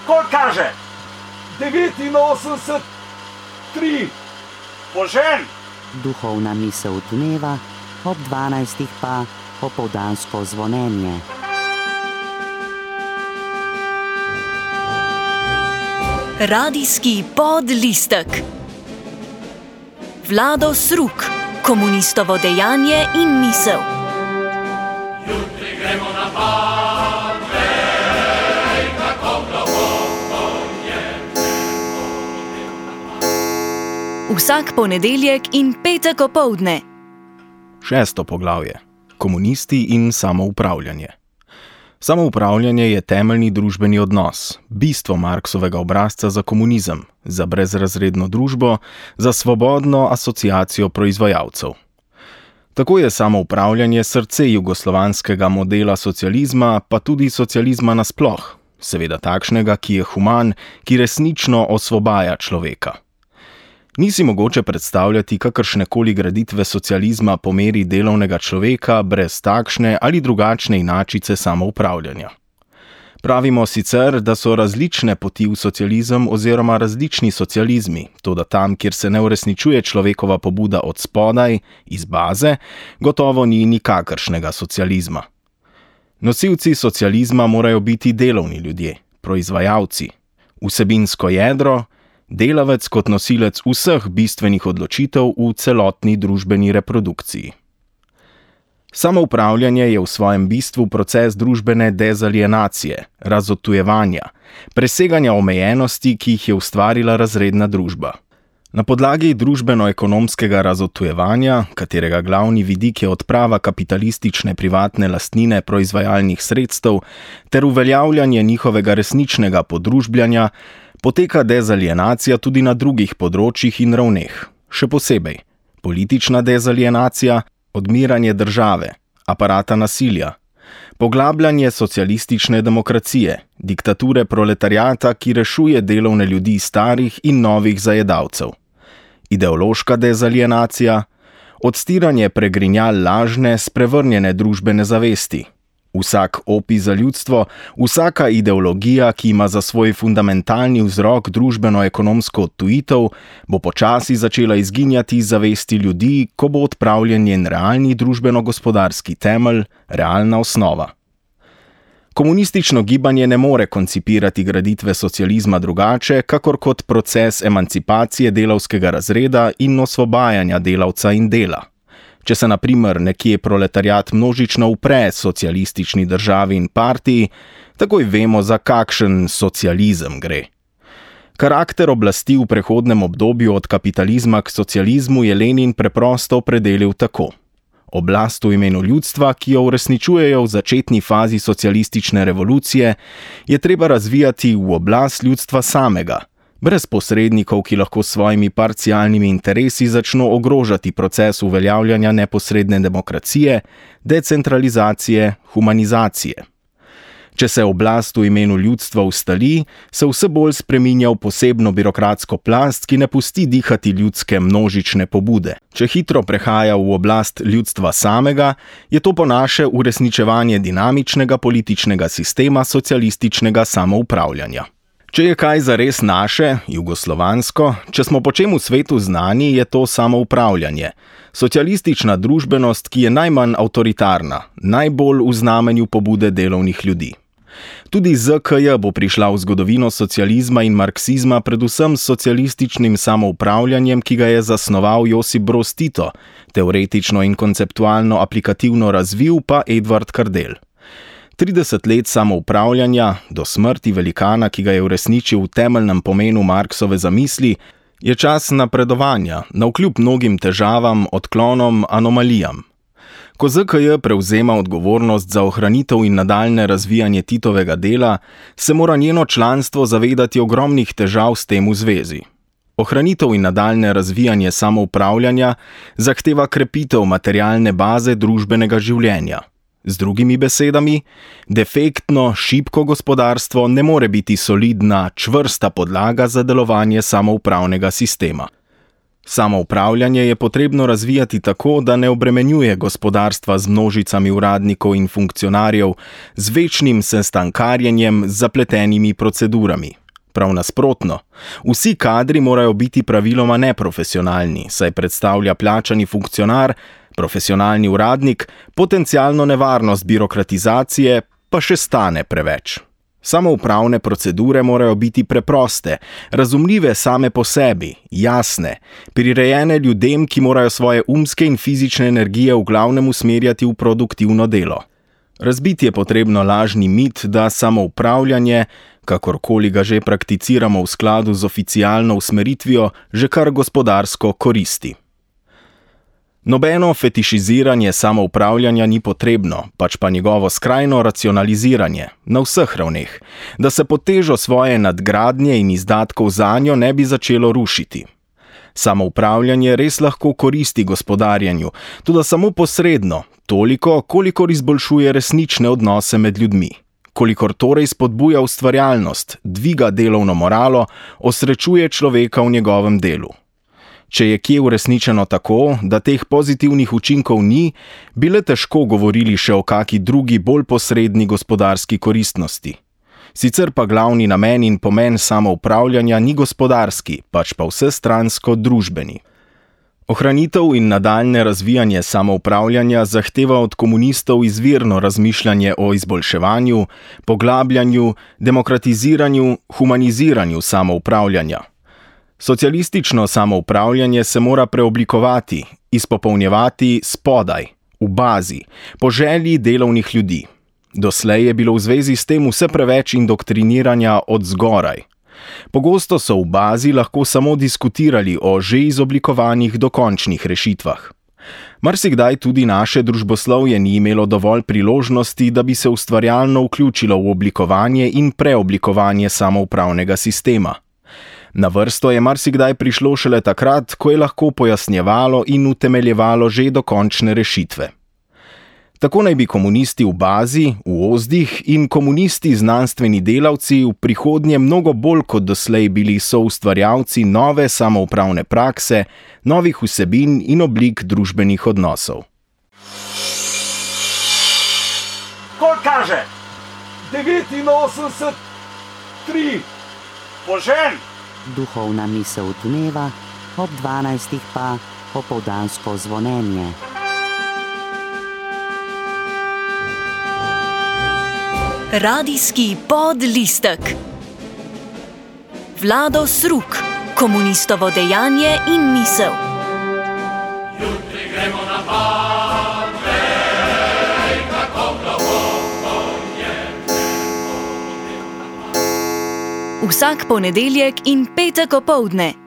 Koliko kaže? 89,3. Požen! Duhovna misel dneva, ob 12 pa popoldansko zvonjenje. Radijski podlistek. Vlado Sruk, komunistovo dejanje in misel. Jutri gremo na Badvej, kako globoko je Vsak ponedeljek in petek opoldne. 6. poglavje. Komunisti in samoupravljanje. Samoupravljanje je temeljni družbeni odnos, bistvo Marksovega obrazca za komunizem, za brezrazredno družbo, za svobodno asociacijo proizvajalcev. Tako je samoupravljanje srce jugoslovanskega modela socializma, pa tudi socializma nasploh, seveda takšnega, ki je human, ki resnično osvobaja človeka. Ni si mogoče predstavljati kakršnekoli graditve socializma po meri delovnega človeka brez takšne ali drugačne inačice samoupravljanja. Pravimo sicer, da so različne poti v socializem oziroma različni socializmi, toda tam, kjer se ne uresničuje človekova pobuda od spodaj, iz baze, gotovo ni nikakršnega socializma. Nosilci socializma morajo biti delovni ljudje, proizvajalci, vsebinsko jedro, delavec kot nosilec vseh bistvenih odločitev v celotni družbeni reprodukciji. Samoupravljanje je v svojem bistvu proces družbene dezalienacije, razodtujevanja, preseganja omejenosti, ki jih je ustvarila razredna družba. Na podlagi družbeno-ekonomskega razodtujevanja, katerega glavni vidik je odprava kapitalistične privatne lastnine proizvajalnih sredstev ter uveljavljanje njihovega resničnega podružbljanja, poteka dezalienacija tudi na drugih področjih in ravneh, še posebej politična dezalienacija, odmiranje države, aparata nasilja, poglabljanje socialistične demokracije, diktature proletariata, ki rešuje delovne ljudi starih in novih zajedavcev, ideološka dezalienacija, odstiranje pregrinjal lažne, sprevrnjene družbene zavesti. Vsak opij za ljudstvo, vsaka ideologija, ki ima za svoj fundamentalni vzrok družbeno-ekonomsko odtujitev, bo počasi začela izginjati iz zavesti ljudi, ko bo odpravljen njen realni družbeno-gospodarski temelj, realna osnova. Komunistično gibanje ne more koncipirati graditve socializma drugače, kakor kot proces emancipacije delavskega razreda in osvobajanja delavca in dela. Če se na primer nekje proletariat množično upre socialistični državi in partiji, takoj vemo, za kakšen socializem gre. Karakter oblasti v prehodnem obdobju od kapitalizma k socializmu je Lenin preprosto opredelil tako. Oblast v imenu ljudstva, ki jo uresničujejo v začetni fazi socialistične revolucije, je treba razvijati v oblast ljudstva samega, brez posrednikov, ki lahko s svojimi parcialnimi interesi začno ogrožati proces uveljavljanja neposredne demokracije, decentralizacije, humanizacije. Če se oblast v imenu ljudstva ustali, se vse bolj spreminja v posebno birokratsko plast, ki ne pusti dihati ljudske množične pobude. Če hitro prehaja v oblast ljudstva samega, je to po naše uresničevanje dinamičnega političnega sistema socialističnega samoupravljanja. Če je kaj zares naše, jugoslovansko, če smo po čem v svetu znani, je to samoupravljanje. Socialistična družbenost, ki je najmanj avtoritarna, najbolj v znamenju pobude delovnih ljudi. Tudi ZKJ bo prišla v zgodovino socializma in marksizma predvsem s socialističnim samoupravljanjem, ki ga je zasnoval Josip Broz Tito, teoretično in konceptualno aplikativno razvil pa Edvard Kardelj. 30 let samoupravljanja, do smrti velikana, ki ga je uresničil v temeljnem pomenu Marksove zamisli, je čas napredovanja, navkljub mnogim težavam, odklonom, anomalijam. Ko ZKJ prevzema odgovornost za ohranitev in nadaljne razvijanje Titovega dela, se mora njeno članstvo zavedati ogromnih težav s tem v zvezi. Ohranitev in nadaljne razvijanje samoupravljanja zahteva krepitev materialne baze družbenega življenja. Z drugimi besedami, defektno, šibko gospodarstvo ne more biti solidna, čvrsta podlaga za delovanje samoupravnega sistema. Samoupravljanje je potrebno razvijati tako, da ne obremenjuje gospodarstva z množicami uradnikov in funkcionarjev, z večnim sestankarjenjem, z zapletenimi procedurami. Prav nasprotno, vsi kadri morajo biti praviloma neprofesionalni, saj predstavlja plačani funkcionar, profesionalni uradnik, potencialno nevarnost birokratizacije, pa še stane preveč. Samoupravne procedure morajo biti preproste, razumljive same po sebi, jasne, prirejene ljudem, ki morajo svoje umske in fizične energije v glavnem usmerjati v produktivno delo. Razbiti je potrebno lažni mit, da samoupravljanje, kakorkoli ga že prakticiramo v skladu z oficialno usmeritvijo, že kar gospodarsko koristi. Nobeno fetišiziranje samoupravljanja ni potrebno, pač pa njegovo skrajno racionaliziranje, na vseh ravneh, da se pod težo svoje nadgradnje in izdatkov zanjo ne bi začelo rušiti. Samoupravljanje res lahko koristi gospodarjenju, toda samo posredno, toliko, kolikor izboljšuje resnične odnose med ljudmi. Kolikor torej spodbuja ustvarjalnost, dviga delovno moralo, osrečuje človeka v njegovem delu. Če je kje uresničeno tako, da teh pozitivnih učinkov ni, bi le težko govorili še o kaki drugi bolj posredni gospodarski koristnosti. Sicer pa glavni namen in pomen samoupravljanja ni gospodarski, pač pa vsestransko družbeni. Ohranitev in nadaljne razvijanje samoupravljanja zahteva od komunistov izvirno razmišljanje o izboljševanju, poglabljanju, demokratiziranju, humaniziranju samoupravljanja. Socialistično samoupravljanje se mora preoblikovati, izpopolnjevati spodaj, v bazi, po želji delovnih ljudi. Doslej je bilo v zvezi s tem vse preveč indoktriniranja od zgoraj. Pogosto so v bazi lahko samo diskutirali o že izoblikovanih dokončnih rešitvah. Marsikdaj tudi naše družboslovje ni imelo dovolj priložnosti, da bi se ustvarjalno vključilo v oblikovanje in preoblikovanje samoupravnega sistema. Na vrsto je marsikdaj prišlo šele takrat, ko je lahko pojasnjevalo in utemeljevalo že dokončne rešitve. Tako naj bi komunisti v bazi, v ozdih in komunisti znanstveni delavci v prihodnje mnogo bolj kot doslej bili soustvarjalci nove samoupravne prakse, novih vsebin in oblik družbenih odnosov. Koliko kaže? 89, 3. Požen! Duhovna misel dneva, ob 12. pa popoldansko zvonjenje. Radijski podlistek. Vlado Sruk, komunistovo dejanje in misel. Jutri gremo na pad, vej, kako globoko je. Vsak ponedeljek in petek opoldne